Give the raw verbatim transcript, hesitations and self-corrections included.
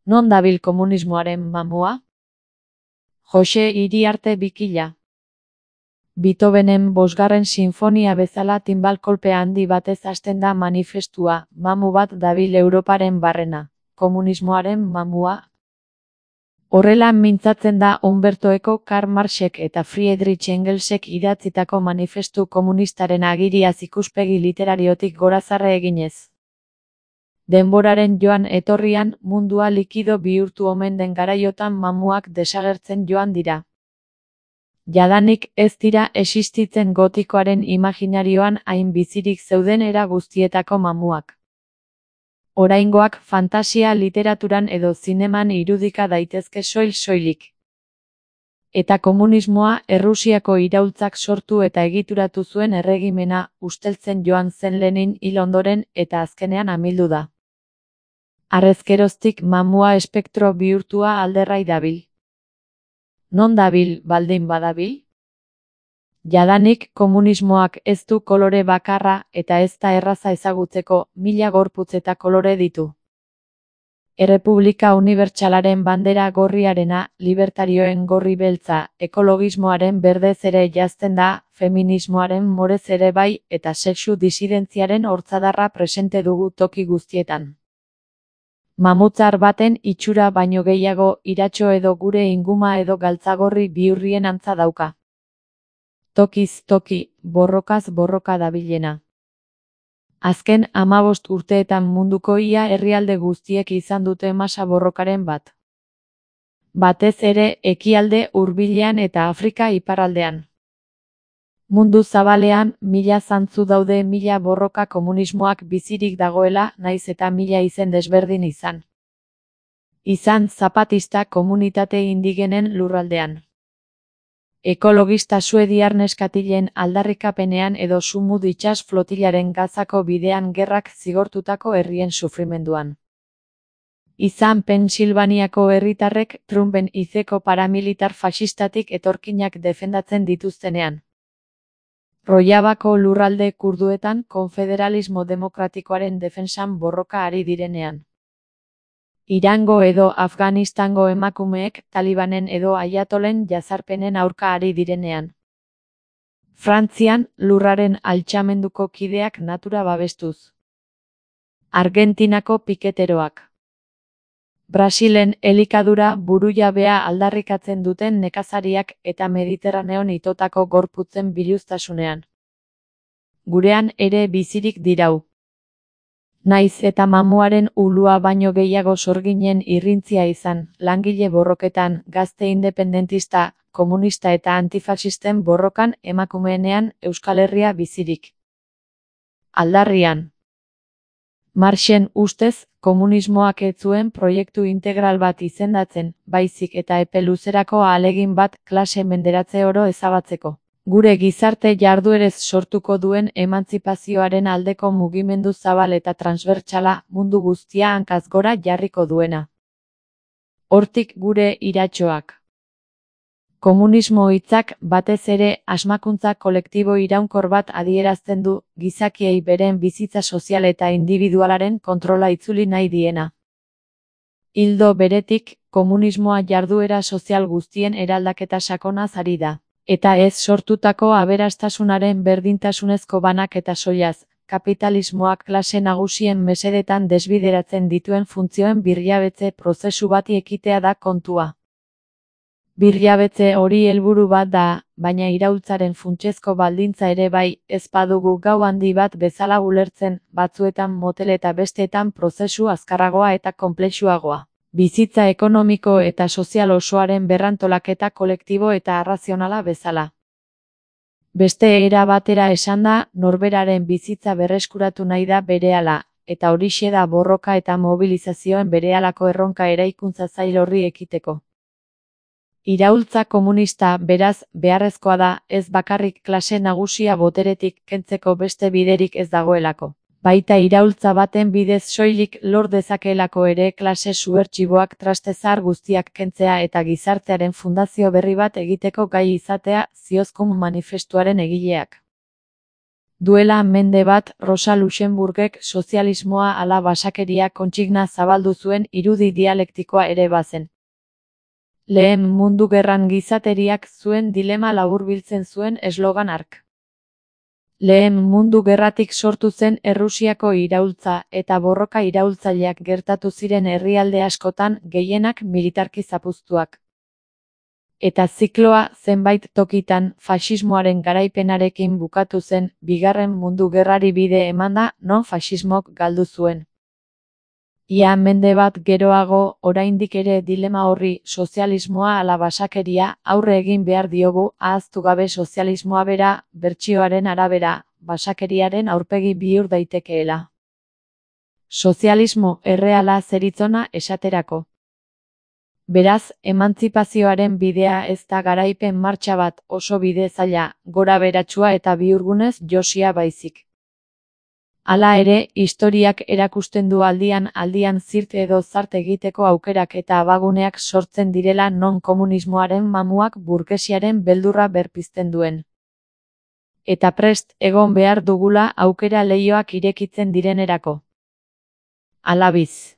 Non dabil komunismoaren mamua? Jose Iriarte Bikila. Beethovenen bosgarren sinfonia bezala tinbal kolpe handi batez hasten da manifestua, mamu bat dabil Europaren barrena, komunismoaren mamua. Horrela mintzatzen da Umberto Eco, Karl Marxek eta Friedrich Engelsek idatzitako manifestu komunistaren agiriaz ikuspegi literariotik gorazarre eginez. Denboraren joan etorrian, mundua likido bihurtu omen den garaiotan mamuak desagertzen joan dira. Jadanik ez dira existitzen gotikoaren imaginarioan hain bizirik zeuden era guztietako mamuak. Oraingoak fantasia literaturan edo zineman irudika daitezke soil-soilik. Eta komunismoa Errusiako iraultzak sortu eta egituratu zuen erregimena usteltzen joan zen Lenin hil ondoren eta azkenean amildu da. Harrezkeroztik mamua espektro bihurtua alderrai dabil. Non dabil baldin badabil? Jadanik komunismoak ez du kolore bakarra eta ez da erraza ezagutzeko, mila gorputz eta kolore ditu. Errepublika unibertsalaren bandera gorriarena, libertarioen gorri beltza, ekologismoaren berdez ere jazten da, feminismoaren morez ere bai eta sexu disidentziaren hortzadarra presente dugu toki guztietan. Mamutzar baten itxura baino gehiago iratxo edo gure inguma edo galtzagorri bihurrien antza dauka. Tokiz toki, borrokaz borroka dabilena. Azken hamabost urteetan munduko ia herrialde guztiek izan dute masa borrokaren bat. Batez ere ekialde hurbilean eta Afrika iparraldean. Mundu zabalean, mila zantzu daude mila borroka komunismoak bizirik dagoela, naiz eta mila izen desberdin izan. Izan zapatista komunitate indigenen lurraldean. Ekologista suediar neskatilen aldarrikapenean edo Sumud itsas flotilaren Gazako bidean gerrak zigortutako herrien sufrimenduan. Izan Pensilvaniako herritarrek Trumpen izeko paramilitar fascistatik etorkinak defendatzen dituztenean. Rojavako lurralde kurduetan konfederalismo demokratikoaren defentsan borroka ari direnean. Irango edo Afganistango emakumeek Talibanen edo Ayatolen jazarpenen aurka ari direnean. Frantzian lurraren altxamenduko kideak natura babestuz. Argentinako piketeroak. Brasilen elikadura burujabea aldarrikatzen duten nekazariak eta Mediterraneon itotako gorputzen biluztasunean. Gurean ere bizirik dirau. Naiz eta mamuaren ulua baino gehiago sorginen irrintzia izan, langile borroketan, gazte independentista, komunista eta antifaxisten borrokan emakumeenean Euskal Herria bizirik. Aldarrian. Marxen ustez, komunismoak ez zuen proiektu integral bat izendatzen, baizik eta epe luzerako ahalegin bat klase menderatze oro ezabatzeko. Gure gizarte jarduerez sortuko duen emantzipazioaren aldeko mugimendu zabal eta transbertsala mundu guztia hankaz gora jarriko duena. Hortik gure iratxoak. Komunismo hitzak batez ere asmakuntza kolektibo iraunkor bat adierazten du, gizakiei beren bizitza sozial eta individualaren kontrola itzuli nahi diena. Ildo beretik, komunismoa jarduera sozial guztien eraldaketa sakonaz ari da. Eta ez sortutako aberastasunaren berdintasunezko banak eta soilaz, kapitalismoak klase nagusien mesedetan desbideratzen dituen funtzioen birjabetze prozesu bati ekitea da kontua. Birjabetze hori helburu bat da, baina iraultzaren funtsezko baldintza ere bai, ez badugu gau handi bat bezala ulertzen, batzuetan motel eta besteetan prozesu azkarragoa eta konplexuagoa. Bizitza ekonomiko eta sozial osoaren berrantolaketa kolektibo eta arrazionala bezala. Beste era batera esanda, norberaren bizitza berreskuratu nahi da berehala, eta horixe da borroka eta mobilizazioen berehalako erronka eraikuntza zail horri ekiteko. Iraultza komunista, beraz, beharrezkoa da, ez bakarrik klase nagusia boteretik kentzeko beste biderik ez dagoelako. Baita iraultza baten bidez soilik lor dezakeelako ere klase subertsiboak trastezar guztiak kentzea eta gizartearen fundazio berri bat egiteko gai izatea, ziozkun manifestuaren egileak. Duela mende bat Rosa Luxemburgek sozialismoa ala basakeria kontsigna zabaldu zuen irudi dialektikoa ere bazen. Lehen Mundu Gerran gizateriak zuen dilema laburbiltzen zuen eslogan hark. Lehen Mundu Gerratik sortu zen Errusiako iraultza eta borroka iraultzaileak gertatu ziren herrialde askotan, gehienak militarki zapuztuak. Eta zikloa zenbait tokitan faxismoaren garaipenarekin bukatu zen, Bigarren Mundu Gerrari bide emanda, non faxismok galdu zuen. Ia mende bat geroago, oraindik ere dilema horri, sozialismoa ala basakeria, aurre egin behar diogu, ahaztu gabe sozialismoa bera, bertsioaren arabera, basakeriaren aurpegi bihur daitekeela. Sozialismo erreala zeritzona esaterako. Beraz, emantzipazioaren bidea ez da garaipen martxa bat, oso bide zaila, gora beratsua eta bihurgunez josia baizik. Hala ere, historiak erakusten du aldian aldian zirt edo zart egiteko aukerak eta abaguneak sortzen direla non komunismoaren mamuak burgesiaren beldurra berpizten duen. Eta prest egon behar dugula aukera leihoak irekitzen direnerako. Alabiz.